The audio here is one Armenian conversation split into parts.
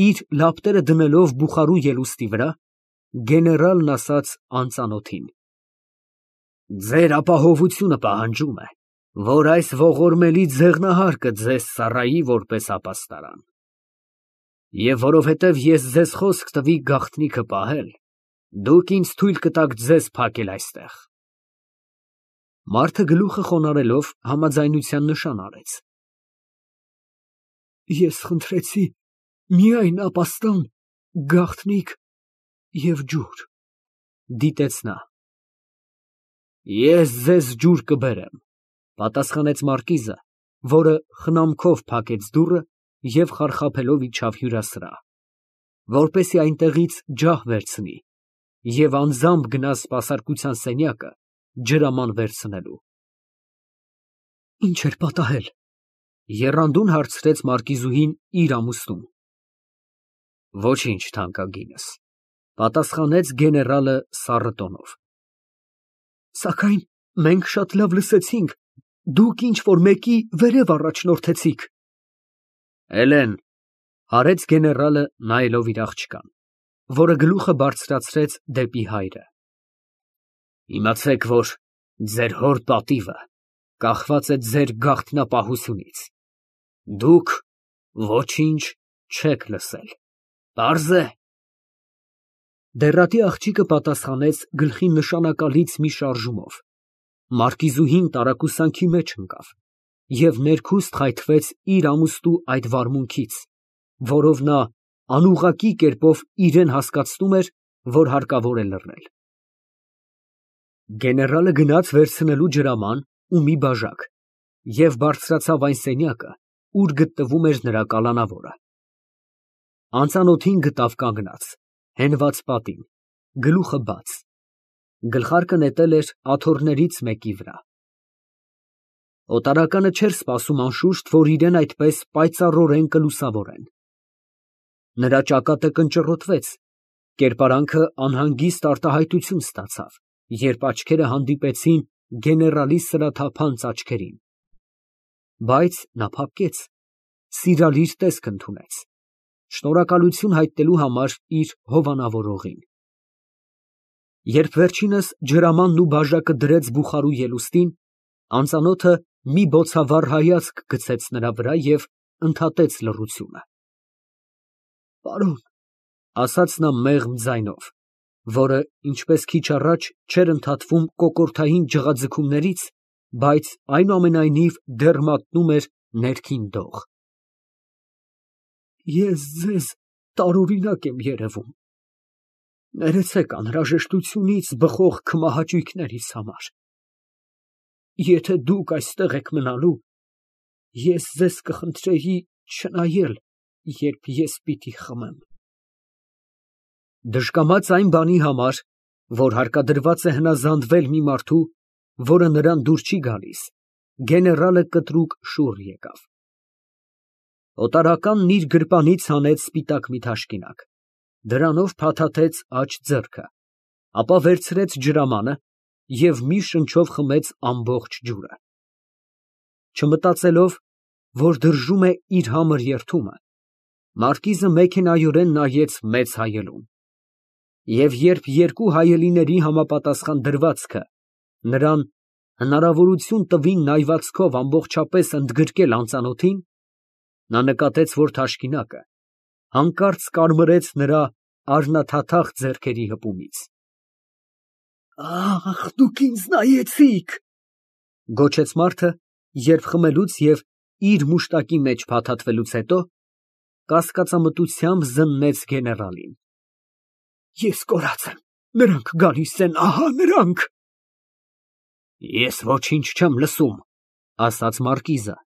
Իր լապտերը դնելով բուխարու ելուստի վրա, գեներալն ասաց անծանոթին. «Ձեր ապահովությունը պահանջում է, որ այս ողորմելի ձեղնահարկը ձեզ ծառայի որպես ապաստարան։ Եվ որովհետև ես ձեզ խոսք տվի գաղտնիքը պահել, դուք ինձ թույլ կտաք ձեզ փակել այստեղ»։ Մարդը գլուխը խոնարհելով համաձայնության նշան արեց։ Ես խնդրեցի միայն ապաստան, գաղտնիք և ջուր, դիտեց նա։ Ես ձեզ ջուր կբերեմ, պատասխանեց մարկիզը, որը խնամքով փակեց դուռը և խարխափելով իջավ հյուրասրահ, որպեսզի այնտեղից ջահ վերցնի և անձամբ գնա սպասարկության սենյակը ջրաման վերցնելու։ Ինչ էր պատահել, եռանդուն հարցրեց մարկիզուհին իր ամուսնուն։ Ոչինչ, թանկագինս, պատասխանեց գեներալը սառը տոնով։ Սակայն մենք շատ լավ լսեցինք, դուք ինչ֊որ մեկի վերև առաջնորդեցիք։ Էլեն, հարեց գեներալը նայելով իր աղջկան, որը գլուխը բարձրացրեց դեպի հայրը։ Իմացեք, որ ձեր հոր պատիվը կախված է ձեր գաղտնապահությունից։ Դուք ոչինչ չեք լսել, պարզ է։ Դեռատի աղջիկը պատասխանեց գլխին նշանակալից մի շարժումով։ Մարկիզուհին տարակուսանքի մեջ ընկավ և ներքուստ խայթվեց իր ամուստու այդ վարմունքից, որով նա անուղղակի կերպով իրան հասկացնում էր, որ հարկավոր է լռել։ Գեներալը գնաց վերցնելու ջրաման ու մի բաժակ և բարձրացավ այն սենյակը, ուր գտնվում էր նրա կալանավորը։ Անծանոթին գտավ կանգնած, հենված պատին, գլուխը բաց, գլխարկը նետել էր աթոռներից մեկի վրա։ Օտարականը չէր սպասում անշուշտ, որ իրան այդպես պայծառորեն կլուսավորեն։ Նրա ճակատը կնճռոտվեց, կերպարանքը անհանգիստ արտահայտություն ստացավ, երբ աչքերը հանդիպեցին գեներալի սրաթափանց աչքերին։ Բայց նա փափկեց, սիրալիր տեսք ընդունեց, շնորհակալություն հայտնելու համար իր հովանավորողին։ Երբ վերջինս ջրամանն ու բաժակը դրեց բուխարու ելուստին, անծանոթը մի բոցավառ հայացք գցեց նրա վրա և ընդհատեց լռությունը։ Պարոն, ասաց նա մեղմ ձայնով, որը, ինչպես քիչ առաջ, չէր ընդհատվում կոկորդային ջղաձգումներից, բայց այնուամենայնիվ դեռ մատնում էր ներքին դող։ Ես ձեզ տարօրինակ եմ երևում։ Ներեցեք անհրաժեշտությունից բխող քմահաճույքներիս համար։ Եթե դուք այստեղ եք մնալու, ես ձեզ կխնդրեի չնայել, երբ ես պիտի խմեմ։ Դժկամաց այն բանի համար, որ հարկադրված է հնազանդվել մի մարդու, որը նրան դուր չի գալիս, գեներալը կտրուկ շուռ եկավ։ Օտարականն իր գրպանից հանեց սպիտակ մի թաշկինակ, դրանով փաթաթեց աջ ձեռքը, ապա վերցրեց ջրամանը և մի շնչով խմեց ամբողջ ջուրը։ Չմտածելով, որ դրժում է իր համր երդումը, մարկիզը մեքենայորեն նայեց մեծ հայելուն։ Եվ երբ երկու հայելիների համապատասխան դրվածքը նրան հնարավորություն տվին նայվածքով ամբողջապես ընդգրկել անծանոթին, նա նկատեց, որ թաշկինակը հանկարծ կարմրեց նրա առնաթաթախ ձեռքերի հպումից։ Ահ, դուք ինձ նայեցիք, գոչեց մարդը, երբ խմելուց և իր մուշտակի մեջ փաթաթվելուց հետո կասկածամտությամբ զննեց գեներալին։ Ես կորած եմ, նրանք գալիս են, ահա նրանք։ Ես ոչինչ չեմ լսում, ասաց մարկիզը։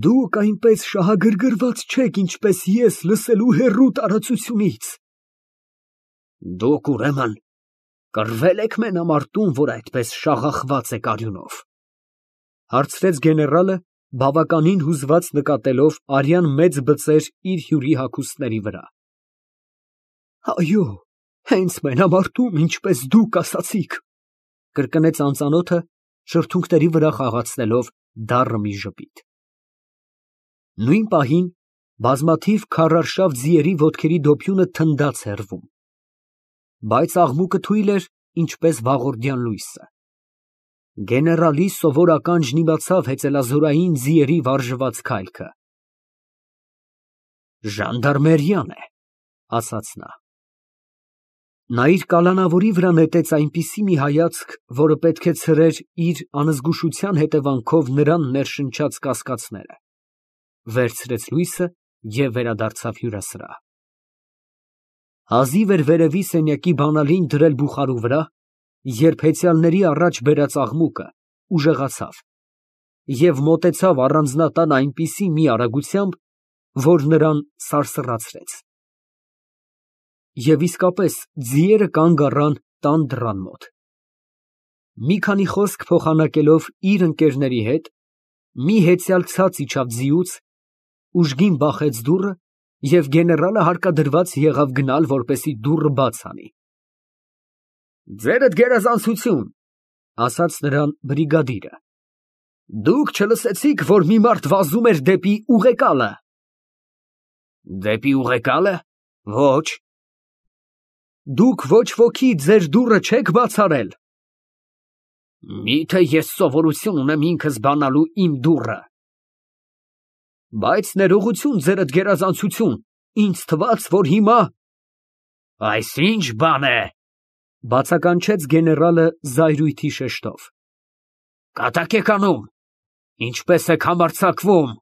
Դուք այնպես շահագրգռված չեք, ինչպես ես լսելու հեռու տարածությունից։ Դուք ուրեմն կռվել եք մենամարտում, որ այդպես շաղախված եք արյունով, հարցրեց գեներալը, բավականին հուզված նկատելով արյան մեծ բծեր իր հյուրի հագուստների վրա։ Այո, հենց մենամարտում, ինչպես դուք ասացիք, կրկնեց անծանոթը, շրթունքների վրա խաղացնելով դառը մի ժպիտ։ Նույն պահին Բազմաթիվ քարարշավ ձիերի ոտքերի դոփյունը թնդաց հեռվում, բայց աղմուկը թույլ էր, ինչպես վաղորդյան լույսը։ Գեներալի սովոր ականջն իմացավ հեծելազորային ձիերի վարժված քայլքը։ «Ժանդարմերիան է», ասաց նա։ Նա իր կալանավորի վրա նետեց այնպիսի մի հայացք, որը պետք է ցրեր իր անզգուշության հետևանքով նրան ներշնչած կասկածները, վերցրեց լույսը և վերադարձավ հյուրասրահ։ Հազիվ էր վերևի սենյակի բանալին դրել բուխարու վրա, երբ հեծյալների առաջ բերած աղմուկը ուժեղացավ և մոտեցավ առանձնատան այնպիսի մի արագությամբ, որ նրան սարսռացրեց։ Եվ իսկապես ձիերը կանգ առան տան դռան մոտ։ Մի քանի խոսք փոխանակելով իր ընկերների հետ, մի հեծյալ ցած իջավ ձիուց, ուժգին բախեց դուռը և գեներալը հարկադրված եղավ գնալ, որպեսզի դուռը բաց անի։ «Ձերդ գերազանցություն», ֊ ասաց նրան բրիգադիրը, ֊ դուք չլսեցի՞ք, որ մի մարդ վազում էր դեպի ուղեկալը։ «Դեպի ուղեկալը, ոչ»։ Դուք ոչ ոքի ձեր դուռը չեք բաց արել։ Մի՞թե ես սովորություն ունեմ ինքս բանալու իմ դուռը։ Բայց ներողություն, ձերդ գերազանցություն, ինձ թվաց, որ հիմա… Այս ի՞նչ բան է, բացականչեց գեներալը զայրույթի շեշտով։ Կատակ եք անում, ինչպես եք համարձակվում։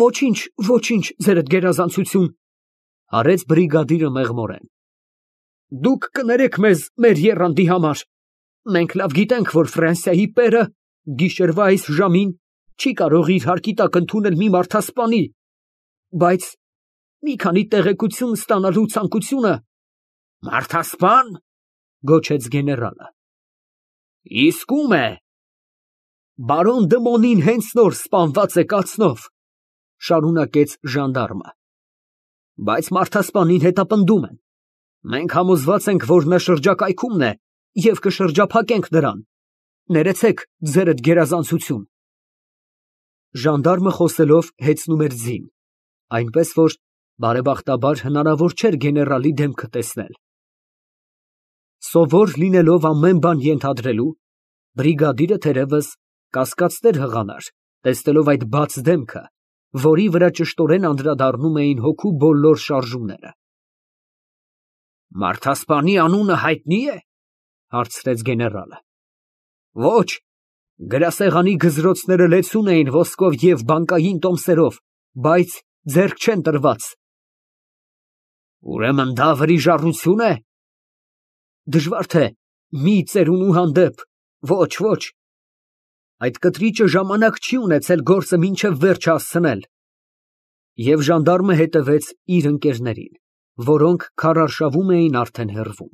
Ոչինչ, ոչինչ, ձերդ գերազանցություն, արեց բրիգադիրը մեղմորեն։ Դուք կներեք մեզ մեր եռանդի համար։ Մենք լավ գիտենք, որ Ֆրանսիայի պերը գիշերվա այս ժամին չի կարող իր հարկի տակ ընդունել մի մարդասպանի, բայց մի քանի տեղեկություն ստանալու ցանկությունը… Մարդասպան, գոչեց գեներալը։ Իսկ ում է։ Բարոն Դմոնին հենց նոր սպանված է կացնով, շարունակեց ժանդարմը, բայց մարդասպանին հետապնդում են։ Մենք համոզված ենք, որ նա շրջակայքումն է և կշրջափակենք նրան։ Ներեցեք, ձերդ գերազանցություն։ Ժանդարմը խոսելով հեծնում էր ձին, այնպես որ բարեբախտաբար հնարավոր չէր գեներալի դեմքը տեսնել։ Սովոր լինելով ամեն բան ենթադրելու, բրիգադիրը թերևս կասկածներ հղանար, տեսնելով այդ բաց դեմքը, որի վրա ճշտորեն անդրադառնում էին հոգու բոլոր շարժումները։ Մարդասպանի անունը հայտնի է, հարցրեց գեներալը։ Ոչ, գրասեղանի գզրոցները լեցուն էին ոսկով և բանկային տոմսերով, բայց ձեռք չեն տրված։ Ուրեմն դա վրիժառություն է։ Դժվար թե մի ծերունու հանդեպ, ոչ, ոչ։ Այդ կտրիճը ժամանակ չի ունեցել գործը մինչև վերջ հասցնել։ Եվ ժանդարմը հետևեց իր ընկերներին, որոնք քարարշավում էին արդեն հեռվում։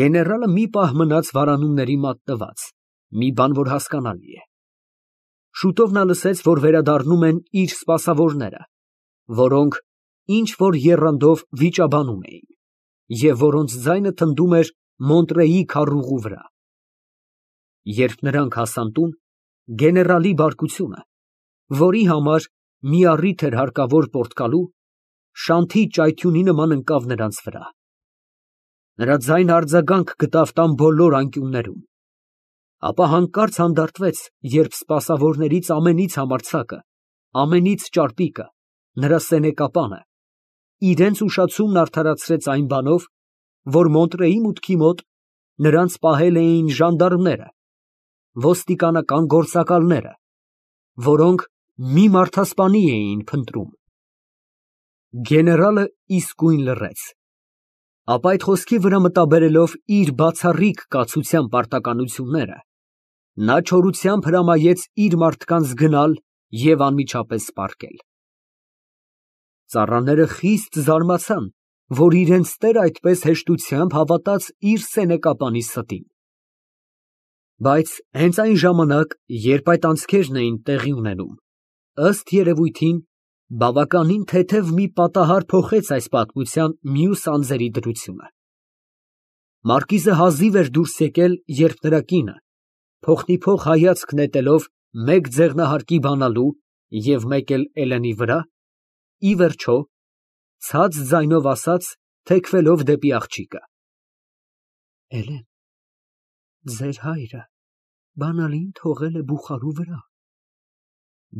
Գեներալը մի պահ մնաց վարանումների մատնված, մի բան, որ հասկանալի է։ Շուտով նա լսեց, որ վերադառնում են իր սպասավորները, որոնք ինչ որ եռանդով վիճաբանում էին, և որոնց ձայնը թնդում էր Մոնտրեի քարուղու վրա։ Երբ նրանք հասան տուն, գեներալի բարկությունը, որի համար մի առիթ էր հարկավոր Պորտկալու, շանթի ճայթյունի նման ընկավ նրանց վրա։ Նրա ձայնը արձագանք գտավ տան բոլոր անկյուններում, ապա հանկարծ հանդարտվեց, երբ սպասավորներից ամենից համարձակը, ամենից ճարպիկը, նրա սենեկապանը, իրենց ուշացումն արդարացրեց այն բանով, որ Մոնտրեի մուտքի մոտ նրանց պահել էին ժանդարմները, ոստիկանական գործակալները, որոնք մի մարդասպանի էին փնտրում։ Գեներալը իսկույն լռեց, ապա այդ խոսքի վրա մտաբերելով իր բացառիկ կացության պարտականությունները, նա չորությամբ հրամայեց իր մարդկանց գնալ և անմիջապես պառկել։ Ծառաները խիստ զարմացան, որ իրենց տերը այդպես հեշտությամբ հավատաց իր սենեկապանի ստին։ Բայց հենց այն ժամանակ, երբ այդ անցքերն էին տեղի ունենում, ըստ երևույթին, բավականին թեթև մի պատահար փոխեց այս պատմության մյուս անձերի դրությունը։ Մարկիզը հազիվ էր դուրս եկել, երբ նրա կինը, փոխնիփոխ հայացք նետելով մեկ ձեղնահարկի բանալու, և մեկ էլ Էլենի վրա, ի վերջո, ցած ձայնով ասաց, թեքվելով դեպի աղջիկը. Էլեն, ձեր հայրը բանալին թողել է բուխարու վրա։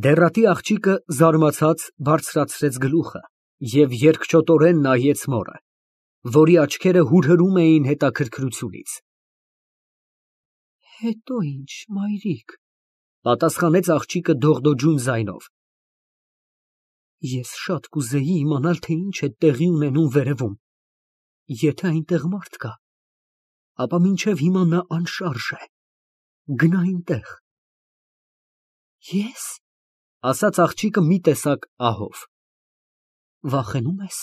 Դեռատի աղջիկը զարմացած բարձրացրեց գլուխը և երկչոտորեն նայեց մորը, որի աչքերը հուրհրում էին հետաքրքրությունից։ Հետո ինչ, մայրիկ, պատասխանեց աղջիկը դողդոջուն ձայնով։ Ես շատ կուզեի իմանալ, թե ինչ է տեղի ունենում վերևում։ Եթե այնտեղ մարդ կա, ապա մինչև հիմա նա անշարժ է։ Գնա այնտեղ։ Ես, ասաց աղջիկը մի տեսակ ահով։ Վախենում ես։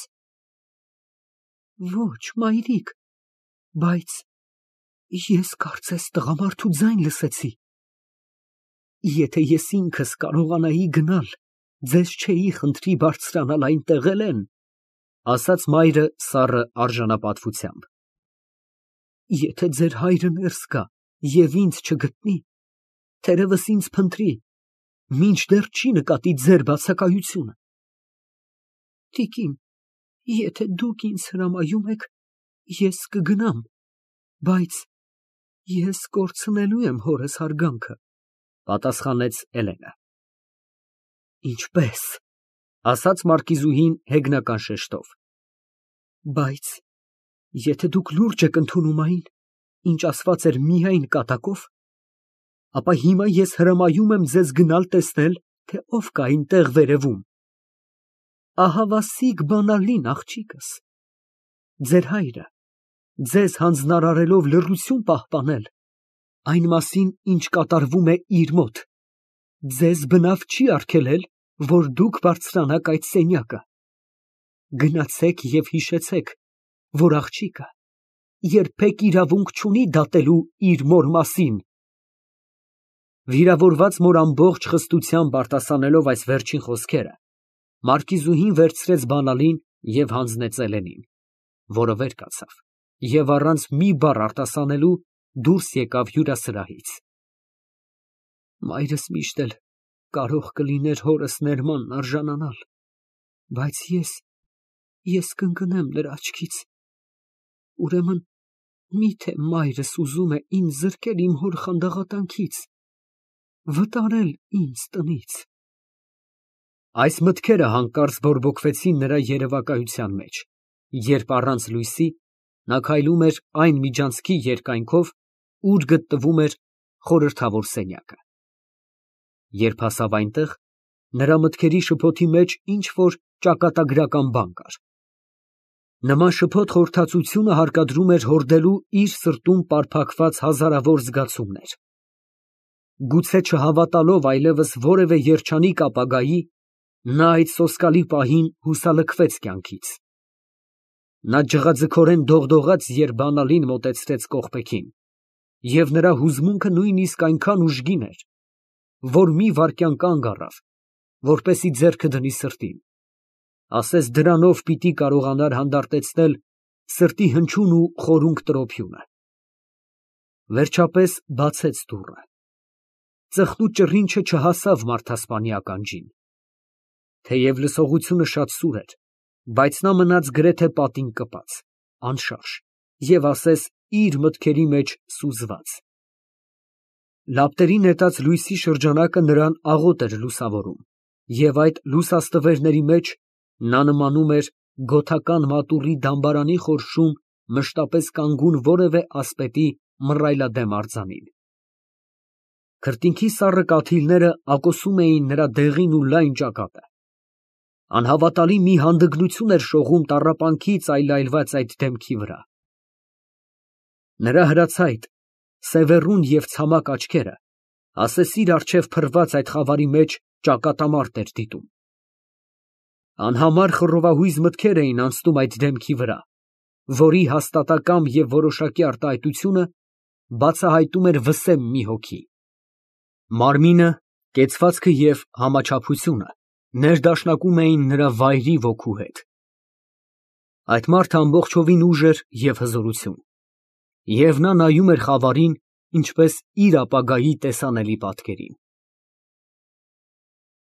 Ոչ, մայրիկ, բայց ես կարծես տղամարդու ձայն լսեցի։ Եթե ես ինքս կարողանայի գնալ, ձեզ չէի խնդրի բարձրանալ այնտեղ, Էլեն, ասաց մայրը սառը արժանապատվությամբ։ Եթե ձեր հայրը ներս գա և ինձ չգտնի, թերևս ինձ փնտրի, մինչդեռ չի նկատի ձեր բացակայությունը։ Տիկին, եթե դուք ինձ հրամայում եք, ես կգնամ, բայց ես կորցնելու եմ հորս հարգանքը, պատասխանեց Էլենը։ Ինչպես, ասաց մարկիզուհին հեգնական շեշտով։ Բայց եթե դուք լուրջ եք ընդունում այն, ինչ ասված էր միայն կատակով, ապա հիմա ես հրամայում եմ ձեզ գնալ տեսնել, թե ով կա այնտեղ վերևում։ Ահավասիկ բանալին, աղջիկս, ձեր հայրը, ձեզ հանձնարարելով լռություն պահպանել, այն մասին, ինչ կատարվում է իր մոտ, ձեզ բնավ չի արգելել, որ դուք բարձրանաք այդ սենյակը։ Գնացեք և հիշեցեք, որ աղջիկը երբեք իրավունք չունի դատելու իր մոր մասին։ Վիրավորված մոր ամբողջ խստությամբ արտասանելով այս վերջին խոսքերը, մարկիզուհին վերցրեց բանալին և հանձնեց Էլենին, որը վեր կացավ և առանց մի բառ արտասանելու դուրս եկավ հյուրասրահից։ Մայրս միշտ էլ կարող կլիներ հորս ներմանն արժանանալ, բայց ես կընկնեմ նրա աչքից։ Ուրեմն, միթե մայրս ուզում է ինձ զրկել իմ հոր խանդաղատանքից, վտարել ինձ տնից։ Այս մտքերը հանկարծ բորբոքվեցին նրա երևակայության մեջ, երբ առանց լույսի նա քայլում էր այն միջանցքի երկայնքով, ուր գտնվում էր խորհրդավոր սենյակը։ Երբ հասավ այնտեղ, նրա մտքերի շփոթի մեջ ինչ-որ ճակատագրական բան կար։ Նման շփոթ խորհրդածությունը հարկադրում էր հորդելու իր սրտում պարփակված հազարավոր զգացումներ։ Գուցե չհավատալով այլևս որևէ երջանիկ ապագայի, նա այդ սոսկալի պահին հուսալքվեց կյանքից։ Նա ջղաձգորեն դողդողաց, երբ բանալին մոտեցրեց կողպեքին, և նրա հուզմունքը նույնիսկ այնքան ուժգին էր, որ մի վայրկյան կանգ առավ, որպեսզի ձեռքը դնի սրտին, ասես դրանով պիտի կարողանար հանդարտեցնել սրտի հնչյուն ու խորունկ տրոփյունը։ Վերջապես բացեց դուռը։ Ծխնու ճռինչը չհասավ մարդասպանի ականջին։ Թեև լսողությունը շատ սուր էր, բայց նա մնաց գրեթե պատին կպած, անշարժ և ասես իր մտքերի մեջ սուզված։ Լապտերի նետած լույսի շրջանակը նրան աղոտ էր լուսավորում, և այդ լուսաստվերների մեջ նա նմանում էր գոթական մատուռի դամբարանի խորշում մշտապես կանգուն որևէ ասպետի մռայլադեմ արձանին։ Քրտինքի սառը կաթիլները ակոսում էին նրա դեղին ու լայն ճակատը։ Անհավատալի մի հանդգնություն էր շողում տառապանքից այլայլված այդ դեմքի վրա։ Նրա հրացայտ, սևեռուն և ցամաք աչքերը, ասես իր առջև փռված այդ խավարի մեջ ճակատամարտ էր դիտում։ Անհամար խռովահույզ մտքեր էին անցնում այդ դեմքի վրա, որի հաստատակամ և որոշակի արտահայտությունը բացահայտում էր վսեմ մի հոգի։ Մարմինը, կեցվածքը և համաչափությունը ներդաշնակում էին նրա վայրի ոգու հետ։ Այդ մարդը ամբողջովին ուժ էր և հզորություն, և նա նայում էր խավարին, ինչպես իր ապագայի տեսանելի պատկերին։